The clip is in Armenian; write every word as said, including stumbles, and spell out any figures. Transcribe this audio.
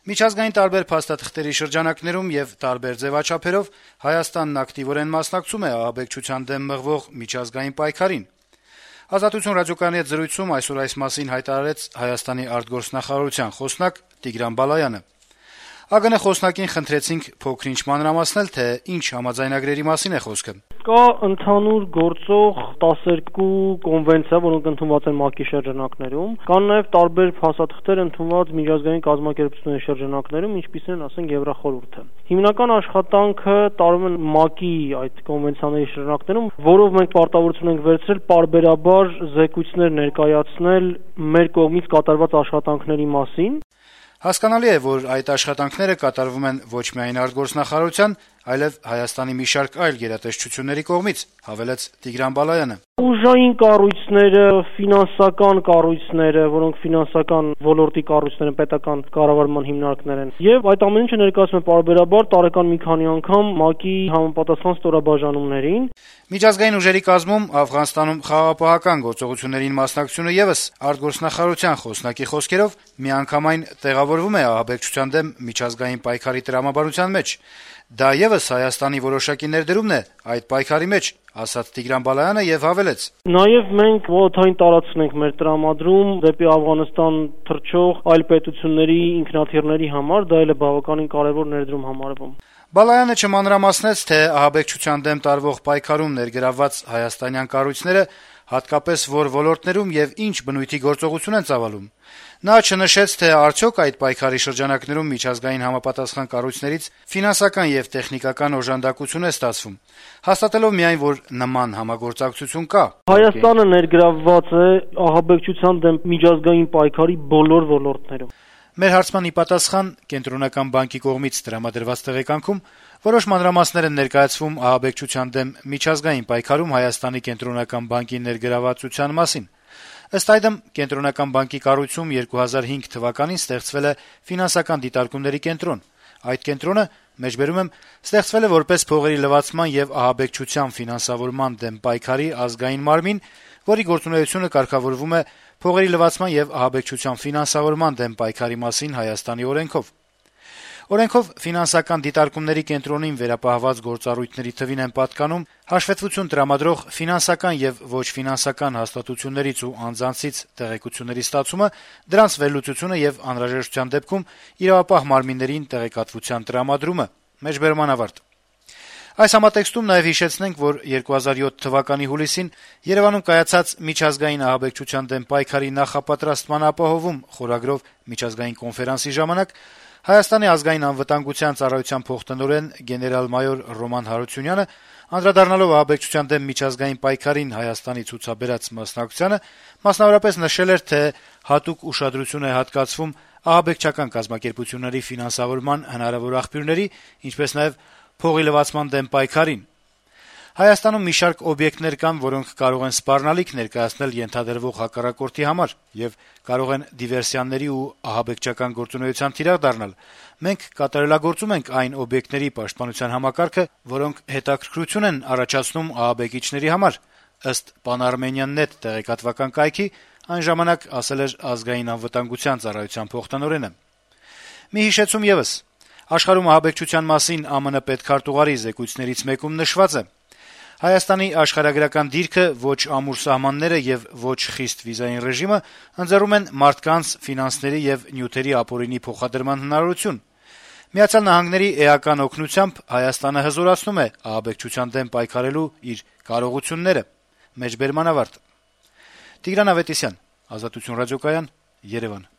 Միջազգային տարբեր փաստաթղթերի շրջանակներում եւ տարբեր ձեւաչափերով Հայաստանն ակտիվորեն մասնակցում է ահաբեկչության դեմ մղվող միջազգային պայքարին։ «Ազատություն» ռադիոկայանի հետ զրույցում այսօր այս մասին հայտարարեց Հայաստանի արտգործնախարարության խոսնակ Տիգրան Բալայանը։ ԱԳՆ խոսնակին խնդրեցինք փոքր-ինչ մանրամասնել, թե ինչ համաձայնագրերի մասին է խոսքը։ Կա ընդհանուր գործող տասներկու կոնվենցիա, որոնք ընդունված են ՄԱԿ-ի շրջանակներում, կան նաև տարբեր փաստաթղթեր ընդունված միջազգային կազմակերպությունների շրջանակներում, ինչպիսին են, ասենք, Եվրախորհուրդը։ Հիմնական աշխատանքը տարվում է ՄԱԿ-ի այդ կոնվենցիաների շրջանակներում, որով մենք պարտավորություն ենք վերցրել պարբերաբար զեկույցներ ներկայացնել մեր կողմից կատարված աշխատանքների մասին։ Հասկանալի է, որ այդ աշխատանքները կատարվում են ոչ միայն արտգործնախարարության, այլև Հայաստանի մի շարք այլ գերատեսչությունների կողմից, հավելեց Տիգրան Բալայանը։ Ուժային կառույցները, ֆինանսական կառույցները, որոնք ֆինանսական ոլորտի կառույցներ են, պետական կառավարման հիմնարկներ են, եւ այդ ամեն ինչը ներկայացում է պարբերաբար տարեկան մի քանի անգամ ՄԱԿ-ի համապատասխան ստորաբաժանումներին։ Միջազգային ուժերի կազմում Աֆղանստանում խաղաղապահական գործողություններին մասնակցությունը եւս արտգործնախարարության խոսնակի խոսքերով միանգամայն տեղավորվում է ահաբեկչության դեմ միջազգային պայքարի տրամաբանության մեջ։ Դա եւս Հայաստանի որոշակի ներդրումն է այդ պայքարի մեջ, ասաց Տիգրան Բալայանը եւ հավելեց. Նաեւ մենք ոլորտային տարածքն ենք մեր տրամադրում դեպի Աֆղանստան թռչող այլ պետությունների ինքնաթիռների համար, դա էլ է բավականին կարեւոր ներդրում համարվում։ Բալայանը չմանրամասնեց, թե ահաբեկչության դեմ տարվող պայքարում ներգրավված հայաստանյան կառույցները հատկապես որ ոլորտներում եւ ինչ բնույթի գործողություն են ծավալում։ Նա չնշեց, թե արդյոք այդ պայքարի շրջանակներում միջազգային համապատասխան կառույցներից ֆինանսական եւ տեխնիկական օժանդակություն է ստացվում, հաստատելով միայն, որ նման համագործակցություն կա։ Հայաստանը ներգրավված է ահաբեկչության դեմ միջազգային պայքարի բոլոր ոլորտներում։ Մեր հարցման ի պատասխան Կենտրոնական բանկի կողմից տրամադրված տեղեկանքում որոշ մանրամասներ են ներկայացվում ահաբեկչության դեմ միջազգային պայքարում Հայաստանի Կենտրոնական բանկի ներգրավվածության մասին։ Ըստ այդմ, Կենտրոնական բանկի կառույցում երկու հազար հինգ թվականին ստեղծվել է ֆինանսական դիտարկումների կենտրոն։ Այդ կենտրոնը, մեջբերում եմ, ստեղծվել է որպես փողերի լվացման եւ ահաբեկչության ֆինանսավորման դեմ պայքարի ազգային մարմին, որի գործունեությունը կարգավորվում է փողերի լվացման եւ ահաբեկչության ֆինանսավորման դեմ պայքարի մասին Հայաստանի օրենքով։ Օրենքով ֆինանսական դիտարկումների կենտրոնին վերապահված գործառույթների թվին են պատկանում հաշվետվություն տրամադրող ֆինանսական եւ ոչ ֆինանսական հաստատություններից ու անձանցից տեղեկությունների ստացումը, դրանց վերլուծությունը եւ անհրաժեշտության դեպքում իրավապահ մարմիններին տեղեկատվության տրամադրումը։ Մեջբերման ավարտ։ Այս համատեքստում նաեւ հիշեցնենք, որ երկու հազար յոթ թվականի հուլիսին Երևանում կայացած միջազգային ահաբեկչության դեմ պայքարի նախապատրաստման ապահովում խորագրով միջազգային կոնֆերանսի ժամանակ Հայաստանի ազգային անվտանգության ծառայության փոխտնօրեն գեներալ-մայոր Ռոման Հարությունյանը, անդրադառնալով ահաբեկչության դեմ միջազգային պայքարին Հայաստանի ցուցաբերած մասնակցությանը, մասնավորապես նշել էր, թե հատուկ ուշադրություն է հատկացվում ահաբեկչական կազմակերպությունների ֆինանսավորման հնարավոր աղբյուրների, ինչպես նաեւ փողի լվացման դեմ պայքարին։ Հայաստանում մի շարք օբյեկտներ կան, որոնք կարող են սպառնալիք ներկայացնել ենթադրվող հակառակորդի համար եւ կարող են դիվերսիաների ու ահաբեկչական գործունեության թիրախ դառնալ։ Մենք կատարելագործում ենք այն օբյեկտների պաշտպանության համակարգը, որոնք հետաքրքրություն են առաջացնում ահաբեկիչների համար, ըստ Pan-Armenian.net տեղեկատվական կայքի, այն ժամանակ ասել էր ազգային անվտանգության ծառայության փոխտնօրենը։ Մի հիշեցում եւս. աշխարհում ահաբեկչության մասին ԱՄՆ պետքարտուղարի զեկույցներից մեկում նշված է. Հայաստանի աշխարհագրական դիրքը, ոչ ամուր սահմանները եւ ոչ խիստ վիզային ռեժիմը ընձեռում են մարդկանց, ֆինանսների եւ նյութերի ապօրինի փոխադրման հնարավորություն։ Միացյալ Նահանգների էական օգնությամբ Հայաստանը հզորացնում է ահաբեկչության դեմ պայքարելու իր կարողությունները։ Մեջբերման ավարտ։ Տիգրան Ավետիսյան, Ազատություն ռադիոկայան, Երևան։